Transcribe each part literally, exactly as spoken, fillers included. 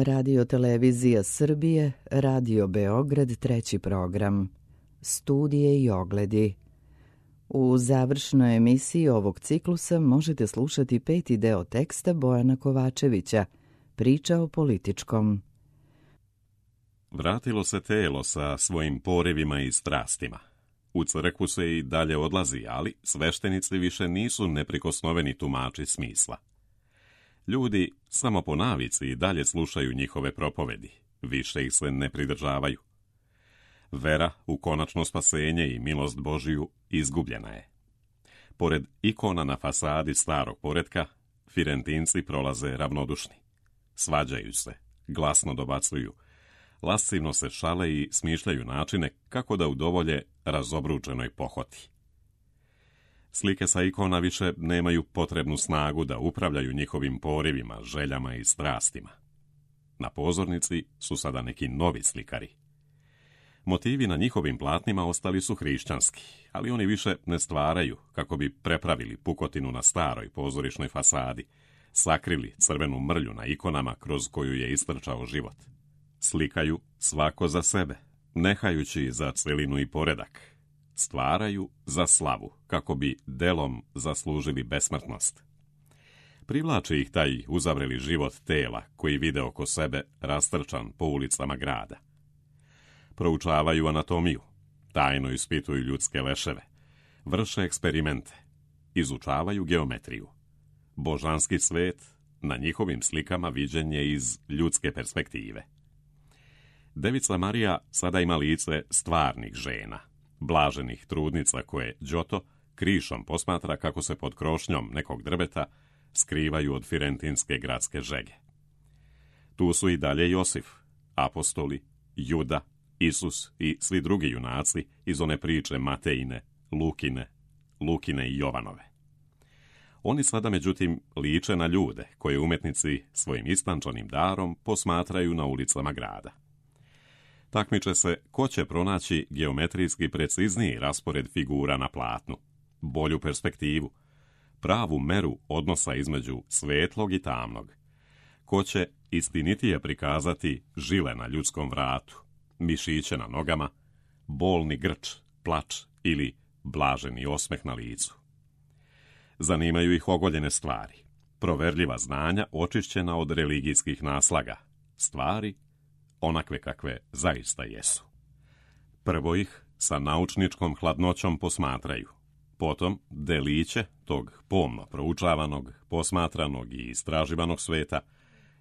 Radio Televizija Srbije, Radio Beograd, treći program. Studije i ogledi. U završnoj emisiji ovog ciklusa možete slušati peti deo teksta Bojana Kovačevića, Priča o političkom. Vratilo se telo sa svojim porivima i strastima. U crkvu se i dalje odlazi, ali sveštenici više nisu neprikosnoveni tumači smisla. Ljudi samo po navici i dalje slušaju njihove propovedi, više ih se ne pridržavaju. Vera u konačno spasenje i milost Božiju izgubljena je. Pored ikona na fasadi starog poretka, Firentinci prolaze ravnodušni. Svađaju se, glasno dobacuju, lascivno se šale i smišljaju načine kako da udovolje razobručenoj pohoti. Slike sa ikona više nemaju potrebnu snagu da upravljaju njihovim porivima, željama i strastima. Na pozornici su sada neki novi slikari. Motivi na njihovim platnima ostali su hrišćanski, ali oni više ne stvaraju kako bi prepravili pukotinu na staroj pozorišnoj fasadi, sakrili crvenu mrlju na ikonama kroz koju je istrčao život. Slikaju svako za sebe, nehajući za celinu i poredak. Stvaraju za slavu, kako bi delom zaslužili besmrtnost. Privlači ih taj uzavreli život tela koji vide oko sebe rastrčan po ulicama grada. Proučavaju anatomiju, tajno ispituju ljudske leševe, vrše eksperimente, izučavaju geometriju. Božanski svet na njihovim slikama viđen je iz ljudske perspektive. Devica Marija sada ima lice stvarnih žena, blaženih trudnica koje Đoto krišom posmatra kako se pod krošnjom nekog drveta skrivaju od firentinske gradske žege. Tu su i dalje Josif, apostoli, Juda, Isus i svi drugi junaci iz one priče Matejine, Lukine, Lukine i Jovanove. Oni sada, međutim, liče na ljude koje umetnici svojim istančanim darom posmatraju na ulicama grada. Takmiče se ko će pronaći geometrijski precizniji raspored figura na platnu, bolju perspektivu, pravu meru odnosa između svetlog i tamnog, ko će istinitije prikazati žile na ljudskom vratu, mišiće na nogama, bolni grč, plač ili blaženi osmeh na licu. Zanimaju ih ogoljene stvari, proverljiva znanja očišćena od religijskih naslaga, stvari onakve kakve zaista jesu. Prvo ih sa naučničkom hladnoćom posmatraju, potom deliće tog pomno proučavanog, posmatranog i istraživanog sveta,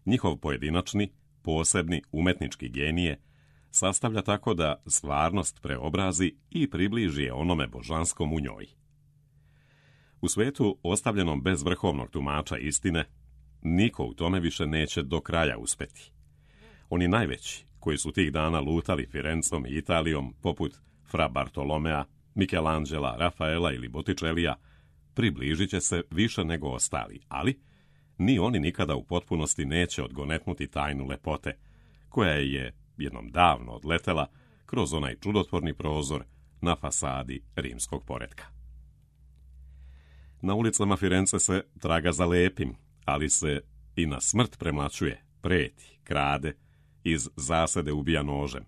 njihov pojedinačni, posebni umetnički genije sastavlja tako da stvarnost preobrazi i približi je onome božanskom u njoj. U svetu ostavljenom bez vrhovnog tumača istine, niko u tome više neće do kraja uspeti. Oni najveći, koji su tih dana lutali Firencom i Italijom, poput Fra Bartolomea, Michelangela, Rafaela ili Botticelija, približit će se više nego ostali, ali ni oni nikada u potpunosti neće odgonetnuti tajnu lepote, koja je jednom davno odletela kroz onaj čudotvorni prozor na fasadi rimskog poretka. Na ulicama Firence se traga za lepim, ali se i na smrt premlaćuje, preti, krade, iz zasede ubija nožem.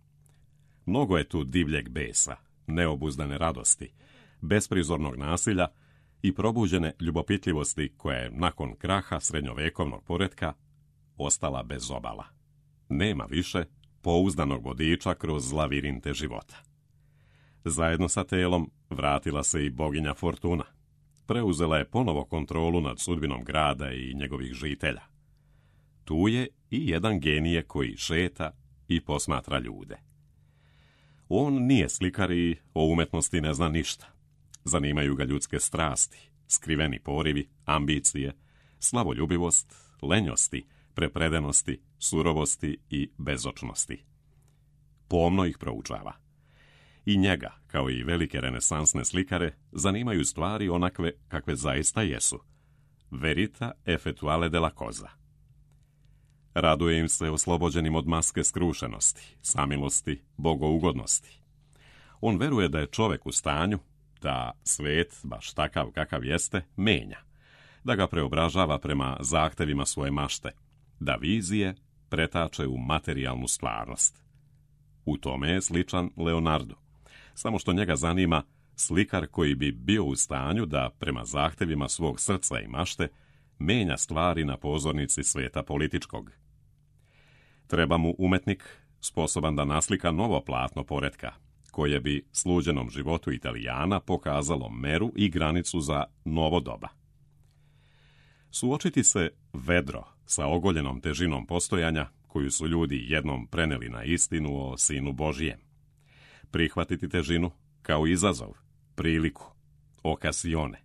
Mnogo je tu divljeg besa, neobuzdane radosti, besprizornog nasilja i probuđene ljubopitljivosti koja je nakon kraha srednjovekovnog poretka ostala bez obala. Nema više pouzdanog vodiča kroz lavirinte života. Zajedno sa telom vratila se i boginja Fortuna. Preuzela je ponovo kontrolu nad sudbinom grada i njegovih žitelja. Tu je i jedan genije koji šeta i posmatra ljude. On nije slikar i o umetnosti ne zna ništa. Zanimaju ga ljudske strasti, skriveni porivi, ambicije, slavoljubivost, lenjosti, prepredenosti, surovosti i bezočnosti. Pomno ih proučava. I njega, kao i velike renesansne slikare, zanimaju stvari onakve kakve zaista jesu. Verita effettuale della cosa. Raduje im se oslobođenim od maske skrušenosti, samilosti, bogougodnosti. On veruje da je čovek u stanju da svet, baš takav kakav jeste, menja, da ga preobražava prema zahtevima svoje mašte, da vizije pretače u materijalnu stvarnost. U tome je sličan Leonardo, samo što njega zanima slikar koji bi bio u stanju da, prema zahtevima svog srca i mašte, menja stvari na pozornici sveta političkog. Treba mu umetnik sposoban da naslika novo platno poretka, koje bi sluđenom životu Italijana pokazalo meru i granicu za novo doba. Suočiti se vedro sa ogoljenom težinom postojanja, koju su ljudi jednom preneli na istinu o Sinu Božijem. Prihvatiti težinu kao izazov, priliku, okasione.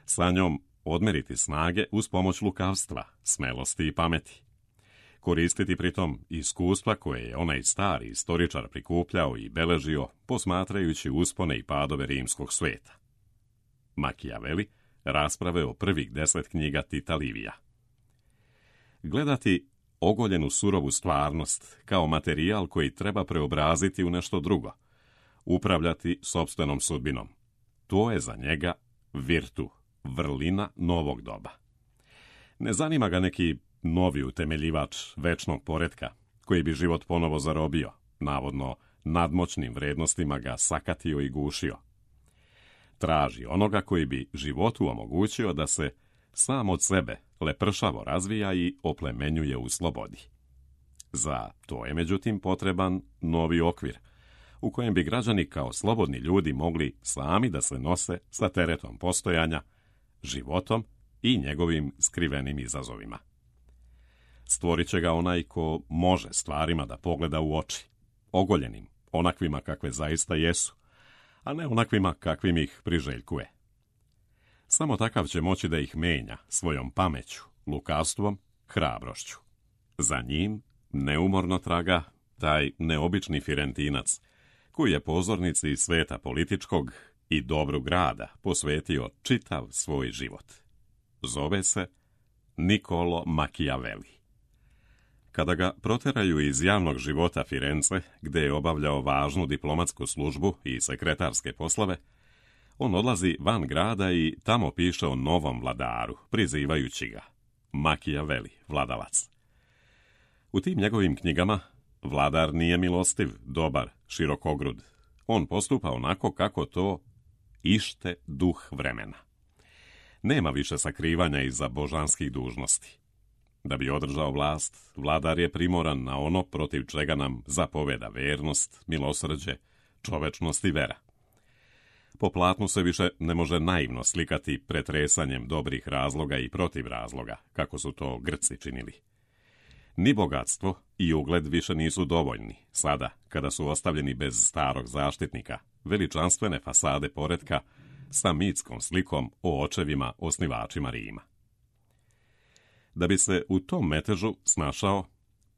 Sa njom odmeriti snage uz pomoć lukavstva, smelosti i pameti. Koristiti pritom iskustva koje je onaj stari istoričar prikupljao i beležio, posmatrajući uspone i padove rimskog sveta. Machiavelli, rasprave o prvih deset knjiga Tita Livija. Gledati ogoljenu surovu stvarnost kao materijal koji treba preobraziti u nešto drugo, upravljati sopstvenom sudbinom. To je za njega virtu, vrlina novog doba. Ne zanima ga neki novi utemeljivač večnog poretka, koji bi život ponovo zarobio, navodno nadmoćnim vrednostima ga sakatio i gušio. Traži onoga koji bi životu omogućio da se sam od sebe lepršavo razvija i oplemenjuje u slobodi. Za to je međutim potreban novi okvir, u kojem bi građani kao slobodni ljudi mogli sami da se nose sa teretom postojanja, životom i njegovim skrivenim izazovima. Stvorit će ga onaj ko može stvarima da pogleda u oči, ogoljenim, onakvima kakve zaista jesu, a ne onakvima kakvim ih priželjkuje. Samo takav će moći da ih menja svojom pameću, lukavstvom, hrabrošću. Za njim neumorno traga taj neobični Firentinac, koji je pozornici sveta političkog i dobru grada posvetio čitav svoj život. Zove se Niccolo Machiavelli. Kada ga proteraju iz javnog života Firence, gde je obavljao važnu diplomatsku službu i sekretarske poslove, on odlazi van grada i tamo piše o novom vladaru, prizivajući ga Machiavelli, vladalac. U tim njegovim knjigama vladar nije milostiv, dobar, širokogrud. On postupa onako kako to ište duh vremena. Nema više sakrivanja iza božanskih dužnosti. Da bi održao vlast, vladar je primoran na ono protiv čega nam zapoveda vernost, milosrđe, čovečnost i vera. Po platnu se više ne može naivno slikati pretresanjem dobrih razloga i protiv razloga, kako su to Grci činili. Ni bogatstvo i ugled više nisu dovoljni, sada, kada su ostavljeni bez starog zaštitnika, veličanstvene fasade poretka sa mitskom slikom o očevima osnivačima Rima. Da bi se u tom metežu snašao,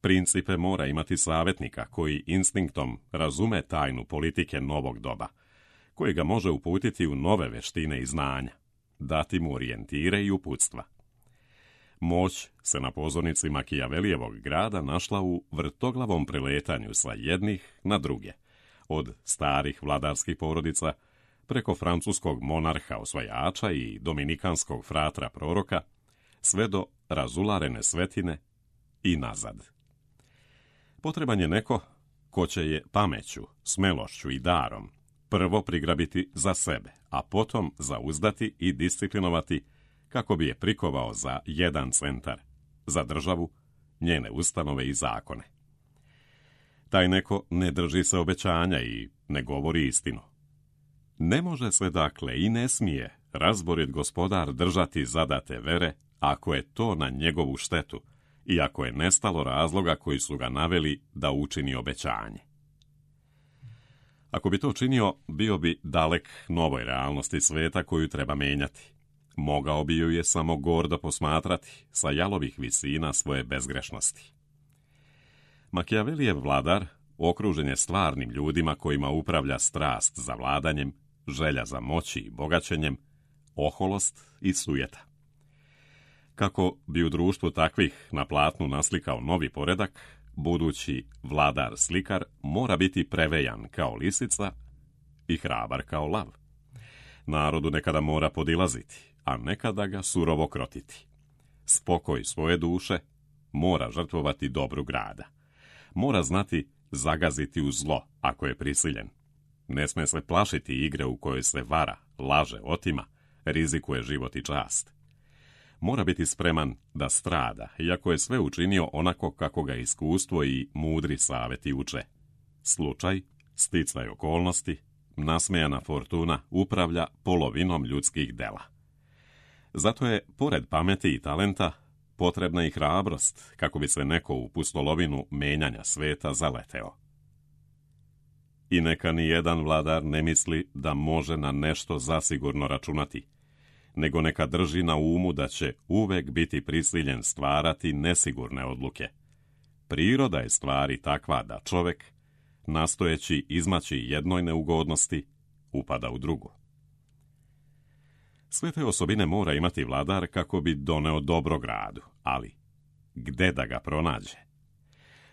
principe mora imati savjetnika koji instinktom razume tajnu politike novog doba, koji ga može uputiti u nove veštine i znanja, dati mu orijentire i uputstva. Moć se na pozornici Machiavellijevog grada našla u vrtoglavom preletanju sa jednih na druge, od starih vladarskih porodica, preko francuskog monarha osvajača i dominikanskog fratra proroka, sve do razularene svetine i nazad. Potreban je neko ko će je pameću, smelošću i darom prvo prigrabiti za sebe, a potom zauzdati i disciplinovati kako bi je prikovao za jedan centar, za državu, njene ustanove i zakone. Taj neko ne drži se obećanja i ne govori istinu. Ne može se dakle i ne smije razborit gospodar držati zadate vere ako je to na njegovu štetu i ako je nestalo razloga koji su ga naveli da učini obećanje. Ako bi to činio, bio bi dalek novoj realnosti sveta koju treba menjati. Mogao bi ju je samo gordo posmatrati sa jalovih visina svoje bezgrešnosti. Machiavellijev vladar okružen je stvarnim ljudima kojima upravlja strast za vladanjem, želja za moći i bogaćenjem, oholost i sujeta. Kako bi u društvu takvih na platnu naslikao novi poredak, budući vladar-slikar mora biti prevejan kao lisica i hrabar kao lav. Narodu nekada mora podilaziti, a nekada ga surovo krotiti. Spokoj svoje duše mora žrtvovati dobru grada. Mora znati zagaziti u zlo, ako je prisiljen. Ne sme se plašiti igre u kojoj se vara, laže, otima, rizikuje život i čast. Mora biti spreman da strada, iako je sve učinio onako kako ga iskustvo i mudri savjeti uče. Slučaj, sticaj okolnosti, nasmejana fortuna upravlja polovinom ljudskih dela. Zato je, pored pameti i talenta, potrebna i hrabrost, kako bi se neko u pustolovinu menjanja sveta zaleteo. I neka ni jedan vladar ne misli da može na nešto zasigurno računati, nego neka drži na umu da će uvek biti prisiljen stvarati nesigurne odluke. Priroda je stvari takva da čovek, nastojeći izmaći jednoj neugodnosti, upada u drugu. Sve te osobine mora imati vladar kako bi doneo dobro gradu, ali gde da ga pronađe?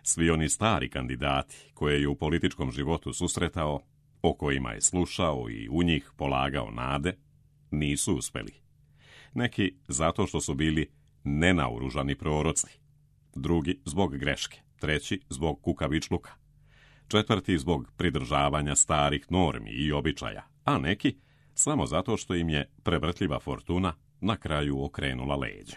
Svi oni stari kandidati koje je u političkom životu susretao, o kojima je slušao i u njih polagao nade, nisu uspeli. Neki zato što su bili nenaoružani proroci, drugi zbog greške, treći zbog kukavičluka, četvrti zbog pridržavanja starih normi i običaja, a neki samo zato što im je prevrtljiva fortuna na kraju okrenula leđa.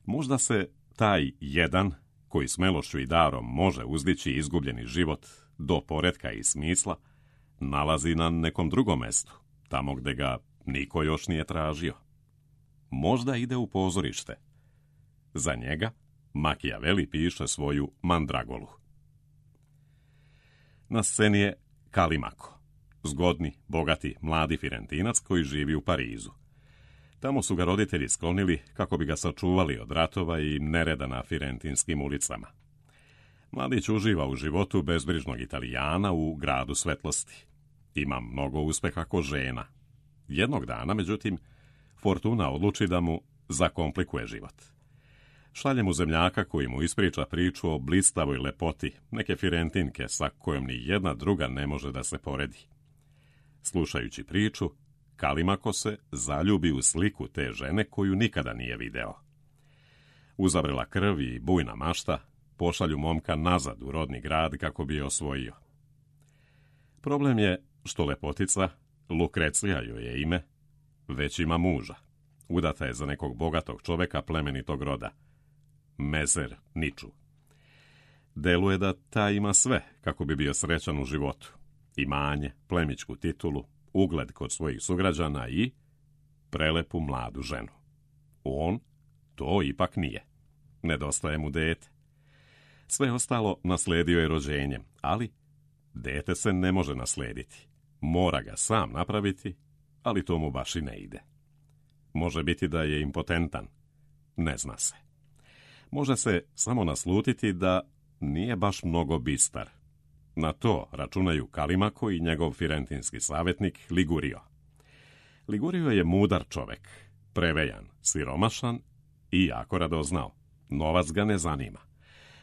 Možda se taj jedan, koji smelošću i darom može uzdići izgubljeni život do poretka i smisla, nalazi na nekom drugom mestu, tamo gde ga niko još nije tražio. Možda ide u pozorište. Za njega Makijaveli piše svoju Mandragolu. Na sceni je Kalimako, zgodni, bogati, mladi Firentinac koji živi u Parizu. Tamo su ga roditelji sklonili kako bi ga sačuvali od ratova i nereda na firentinskim ulicama. Mladić uživa u životu bezbrižnog Italijana u gradu svetlosti. Ima mnogo uspeha ko žena. Jednog dana, međutim, fortuna odluči da mu zakomplikuje život. Šalje mu zemljaka koji mu ispriča priču o blistavoj lepoti neke Firentinke sa kojom ni jedna druga ne može da se poredi. Slušajući priču, Kalimako se zaljubi u sliku te žene koju nikada nije video. Uzavrela krv i bujna mašta pošalju momka nazad u rodni grad kako bi je osvojio. Problem je što lepotica, Lukrecija joj je ime, već ima muža. Udata je za nekog bogatog čoveka plemenitog roda, Mezer Niču. Deluje da ta ima sve kako bi bio srećan u životu. Imanje, plemićku titulu, ugled kod svojih sugrađana i prelepu mladu ženu. On to ipak nije. Nedostaje mu dete. Sve ostalo nasledio je rođenjem, ali dete se ne može naslediti. Mora ga sam napraviti, ali to mu baš i ne ide. Može biti da je impotentan. Ne zna se. Može se samo naslutiti da nije baš mnogo bistar. Na to računaju Kalimako i njegov firentinski savjetnik Ligurio. Ligurio je mudar čovek, prevejan, siromašan i jako radoznao. Novac ga ne zanima.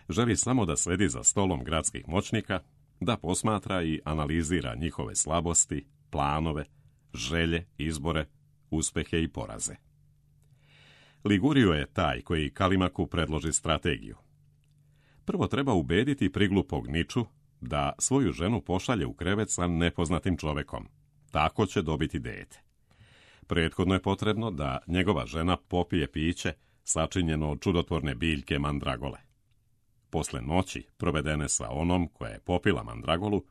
Želi samo da sedi za stolom gradskih moćnika, da posmatra i analizira njihove slabosti, planove, želje, izbore, uspehe i poraze. Ligurio je taj koji Kalimaku predloži strategiju. Prvo treba ubediti priglupog Niču da svoju ženu pošalje u krevet sa nepoznatim čovekom. Tako će dobiti dete. Prethodno je potrebno da njegova žena popije piće sačinjeno od čudotvorne biljke mandragole. Posle noći, provedene sa onom koja je popila mandragolu,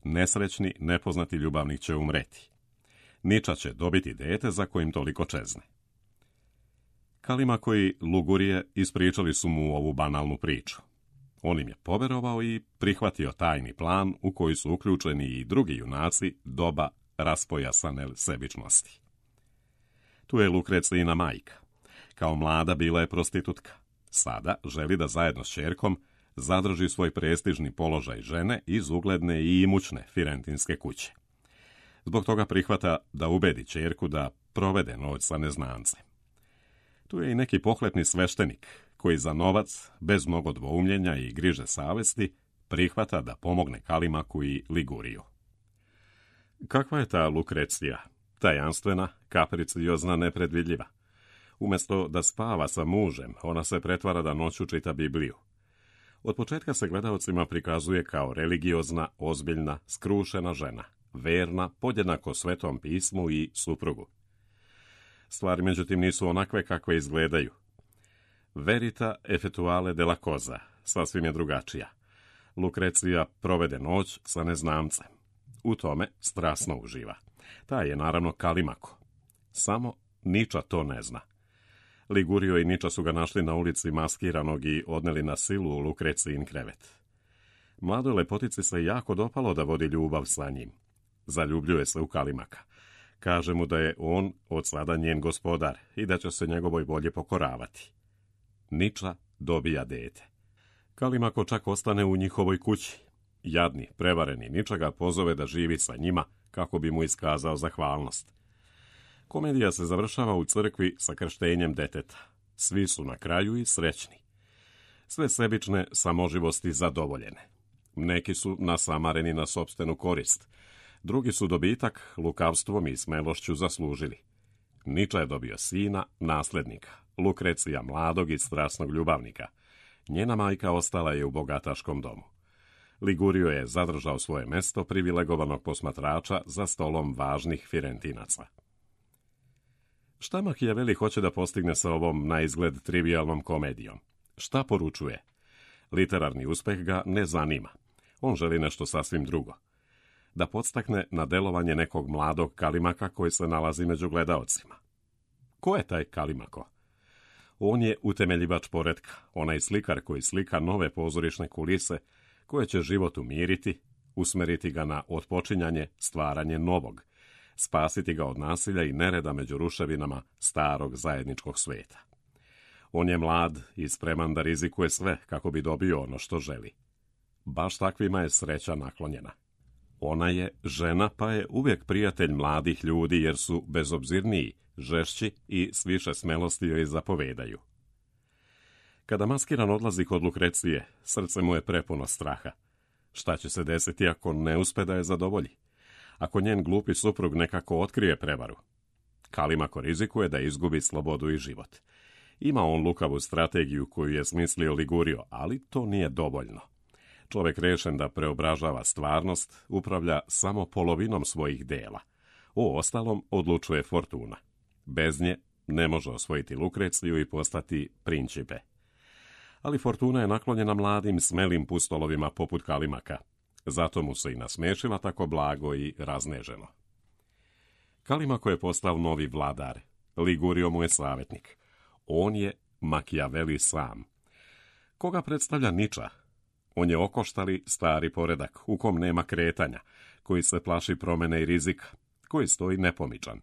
nesrećni, nepoznati ljubavnik će umreti. Niča će dobiti dete za kojim toliko čezne. Kalimako i Lugurije ispričali su mu ovu banalnu priču. On im je poverovao i prihvatio tajni plan u koji su uključeni i drugi junaci doba raspojasane sebičnosti. Tu je Lukrecijina majka. Kao mlada bila je prostitutka. Sada želi da zajedno s ćerkom zadrži svoj prestižni položaj žene iz ugledne i imućne firentinske kuće. Zbog toga prihvata da ubedi ćerku da provede noć sa neznancem. Tu je i neki pohlepni sveštenik koji za novac, bez mnogo dvoumljenja i griže savesti, prihvata da pomogne Kalimaku i Liguriju. Kakva je ta Lukrecija? Tajanstvena, kapriciozna, nepredvidljiva. Umjesto da spava sa mužem, ona se pretvara da noću čita Bibliju. Od početka se gledaocima prikazuje kao religiozna, ozbiljna, skrušena žena, verna, podjednako Svetom pismu i suprugu. Stvari, međutim, nisu onakve kakve izgledaju. Verita effettuale della cosa, sasvim je drugačija. Lukrecija provede noć sa neznamcem. U tome strasno uživa. Taj je naravno Kalimako. Samo Niča to ne zna. Ligurio i Niča su ga našli na ulici maskiranog i odneli na silu u Lukrecijin krevet. Mladoj lepotici se jako dopalo da vodi ljubav sa njim. Zaljubljuje se u Kalimaka. Kaže mu da je on od sada njen gospodar i da će se njegovoj volji pokoravati. Niča dobija dete. Kalimako čak ostane u njihovoj kući. Jadni, prevareni Niča ga pozove da živi sa njima kako bi mu iskazao zahvalnost. Komedija se završava u crkvi sa krštenjem deteta. Svi su na kraju i srećni. Sve sebične samoživosti zadovoljene. Neki su nasamareni na sopstvenu korist. Drugi su dobitak lukavstvom i smelošću zaslužili. Niča je dobio sina, naslednika, Lukrecija mladog i strasnog ljubavnika. Njena majka ostala je u bogataškom domu. Ligurio je zadržao svoje mesto privilegovanog posmatrača za stolom važnih Firentinaca. Šta Machiavelli hoće da postigne sa ovom na izgled trivijalnom komedijom? Šta poručuje? Literarni uspeh ga ne zanima. On želi nešto sasvim drugo. Da podstakne na delovanje nekog mladog Kalimaka koji se nalazi među gledaocima. Ko je taj Kalimako? On je utemeljivač poretka, onaj slikar koji slika nove pozorišne kulise koje će život umiriti, usmeriti ga na otpočinjanje, stvaranje novog, spasiti ga od nasilja i nereda među ruševinama starog zajedničkog sveta. On je mlad i spreman da rizikuje sve kako bi dobio ono što želi. Baš takvima je sreća naklonjena. Ona je žena, pa je uvijek prijatelj mladih ljudi jer su bezobzirniji, žešći i s više smelosti joj zapovedaju. Kada maskiran odlazi kod Lukrecije, srce mu je prepuno straha. Šta će se desiti ako ne uspe da je zadovolji? Ako njen glupi suprug nekako otkrije prevaru? Kalimako rizikuje da izgubi slobodu i život. Ima on lukavu strategiju koju je smislio Ligurio, ali to nije dovoljno. Čovjek rešen da preobražava stvarnost upravlja samo polovinom svojih dela. O ostalom odlučuje Fortuna. Bez nje ne može osvojiti Lukreciju i postati principe. Ali Fortuna je naklonjena mladim, smelim pustolovima poput Kalimaka. Zato mu se i nasmešila tako blago i razneženo. Kalimako je postao novi vladar. Ligurio mu je savjetnik. On je Machiavelli sam. Koga predstavlja Niča? On je okoštali stari poredak, u kom nema kretanja, koji se plaši promjene i rizika, koji stoji nepomičan.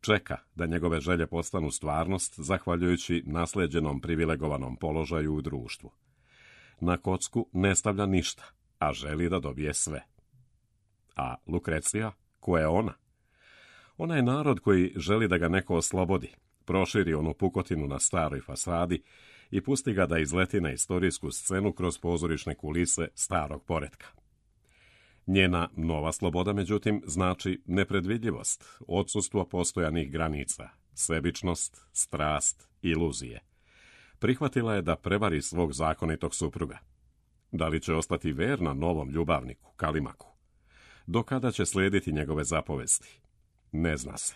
Čeka da njegove želje postanu stvarnost, zahvaljujući nasleđenom privilegovanom položaju u društvu. Na kocku ne stavlja ništa, a želi da dobije sve. A Lukrecija, ko je ona? Ona je narod koji želi da ga neko oslobodi, proširi onu pukotinu na staroj fasadi i pusti ga da izleti na istorijsku scenu kroz pozorišne kulise starog poretka. Njena nova sloboda, međutim, znači nepredvidljivost, odsustvo postojanih granica, sebičnost, strast, iluzije. Prihvatila je da prevari svog zakonitog supruga. Da li će ostati verna novom ljubavniku, Kalimaku? Do kada će slijediti njegove zapovesti? Ne zna se.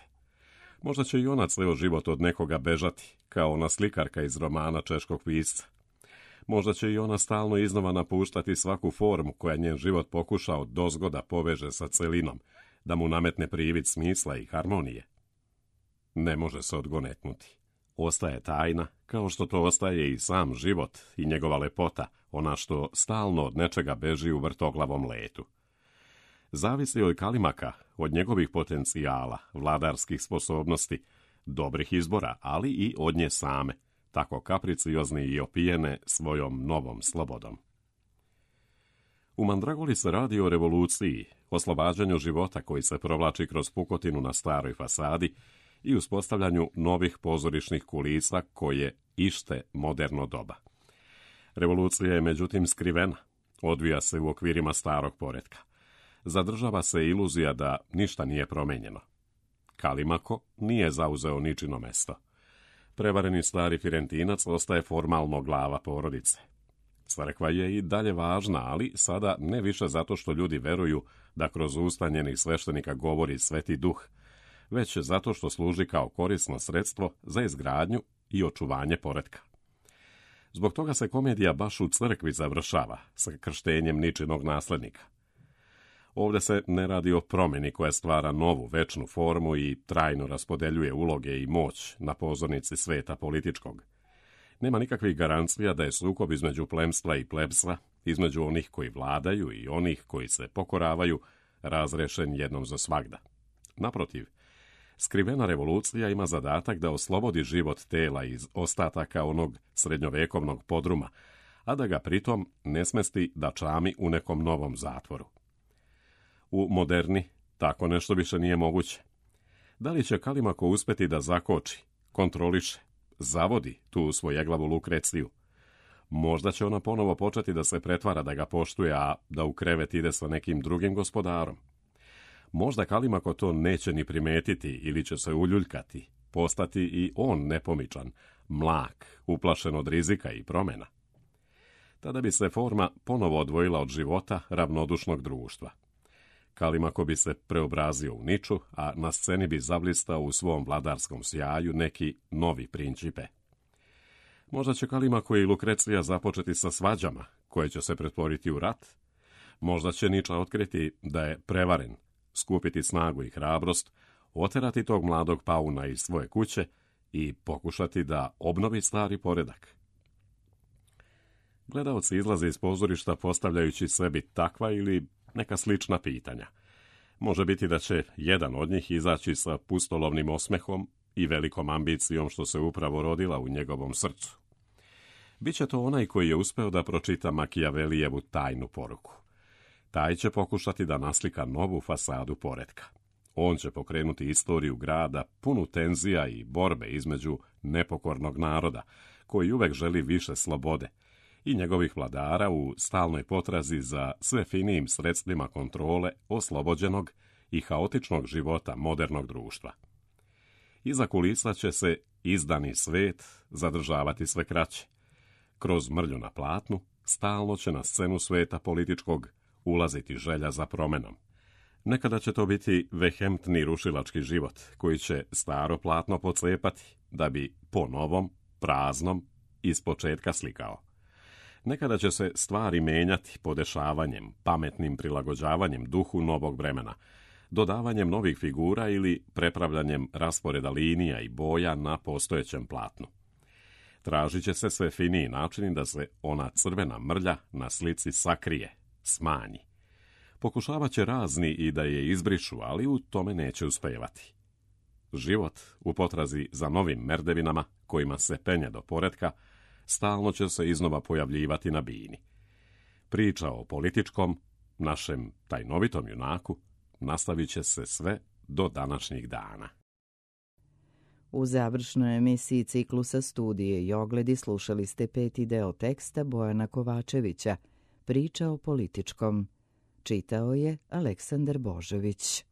Možda će i ona ceo život od nekoga bežati, kao ona slikarka iz romana češkog pisca. Možda će i ona stalno iznova napuštati svaku formu koja njen život pokušao dozgoda poveže sa celinom, da mu nametne privid smisla i harmonije. Ne može se odgonetnuti. Ostaje tajna, kao što to ostaje i sam život i njegova lepota, ona što stalno od nečega beži u vrtoglavom letu. Zavisi od Kalimaka, od njegovih potencijala, vladarskih sposobnosti, dobrih izbora, ali i od nje same, tako kapriciozni i opijene svojom novom slobodom. U Mandragoli se radi o revoluciji, oslobađanju života koji se provlači kroz pukotinu na staroj fasadi i uspostavljanju novih pozorišnih kulisa koje ište moderno doba. Revolucija je međutim skrivena, odvija se u okvirima starog poretka. Zadržava se iluzija da ništa nije promenjeno. Kalimako nije zauzeo ničino mesto. prevareni stari Firentinac ostaje formalno glava porodice. Crkva je i dalje važna, ali sada ne više zato što ljudi veruju da kroz usta njenih sveštenika govori Sveti Duh, već zato što služi kao korisno sredstvo za izgradnju i očuvanje poretka. Zbog toga se komedija baš u crkvi završava sa krštenjem ničinog naslednika. Ovdje se ne radi o promjeni koja stvara novu večnu formu i trajno raspodeljuje uloge i moć na pozornici sveta političkog. Nema nikakvih garancija da je sukob između plemstva i plebstva, između onih koji vladaju i onih koji se pokoravaju, razrešen jednom za svagda. Naprotiv, skrivena revolucija ima zadatak da oslobodi život tela iz ostataka onog srednjovekovnog podruma, a da ga pritom ne smesti da čami u nekom novom zatvoru. U moderni tako nešto više nije moguće. Da li će Kalimako uspeti da zakoči, kontroliše, zavodi tu svojeglavu Lukreciju? Možda će ona ponovo početi da se pretvara da ga poštuje, a da u krevet ide sa nekim drugim gospodarom. Možda Kalimako to neće ni primetiti ili će se uljuljkati, postati i on nepomičan, mlak, uplašen od rizika i promjena. Tada bi se forma ponovo odvojila od života ravnodušnog društva. Kalimako bi se preobrazio u niču, a na sceni bi zablistao u svom vladarskom sjaju neki novi principe. Možda će Kalimako i Lukrecija započeti sa svađama, koje će se pretvoriti u rat. Možda će Niča otkriti da je prevaren, skupiti snagu i hrabrost, oterati tog mladog pauna iz svoje kuće i pokušati da obnovi stari poredak. Gledaoci izlaze iz pozorišta postavljajući sebi takva ili neka slična pitanja. Može biti da će jedan od njih izaći sa pustolovnim osmehom i velikom ambicijom što se upravo rodila u njegovom srcu. Biće to onaj koji je uspeo da pročita Makijavelijevu tajnu poruku. Taj će pokušati da naslika novu fasadu poretka. On će pokrenuti istoriju grada punu tenzija i borbe između nepokornog naroda, koji uvek želi više slobode, i njegovih vladara u stalnoj potrazi za sve finijim sredstvima kontrole oslobođenog i haotičnog života modernog društva. Iza kulisa će se izdani svet zadržavati sve kraće. Kroz mrlju na platnu stalno će na scenu sveta političkog ulaziti želja za promenom. Nekada će to biti vehemtni rušilački život, koji će staro platno pocepati, da bi po novom, praznom, iz početka slikao. Nekada će se stvari menjati podešavanjem, pametnim prilagođavanjem duhu novog vremena, dodavanjem novih figura ili prepravljanjem rasporeda linija i boja na postojećem platnu. Tražit će se sve finiji načini da se ona crvena mrlja na slici sakrije, smanji. Pokušavat će razni i da je izbrišu, ali u tome neće uspevati. Život u potrazi za novim merdevinama, kojima se penje do poretka, stalno će se iznova pojavljivati na bini. Priča o političkom, našem tajnovitom junaku, nastavit će se sve do današnjih dana. U završnoj emisiji ciklusa Studije i ogledi slušali ste peti deo teksta Bojana Kovačevića, Priča o političkom. Čitao je Aleksandar Božović.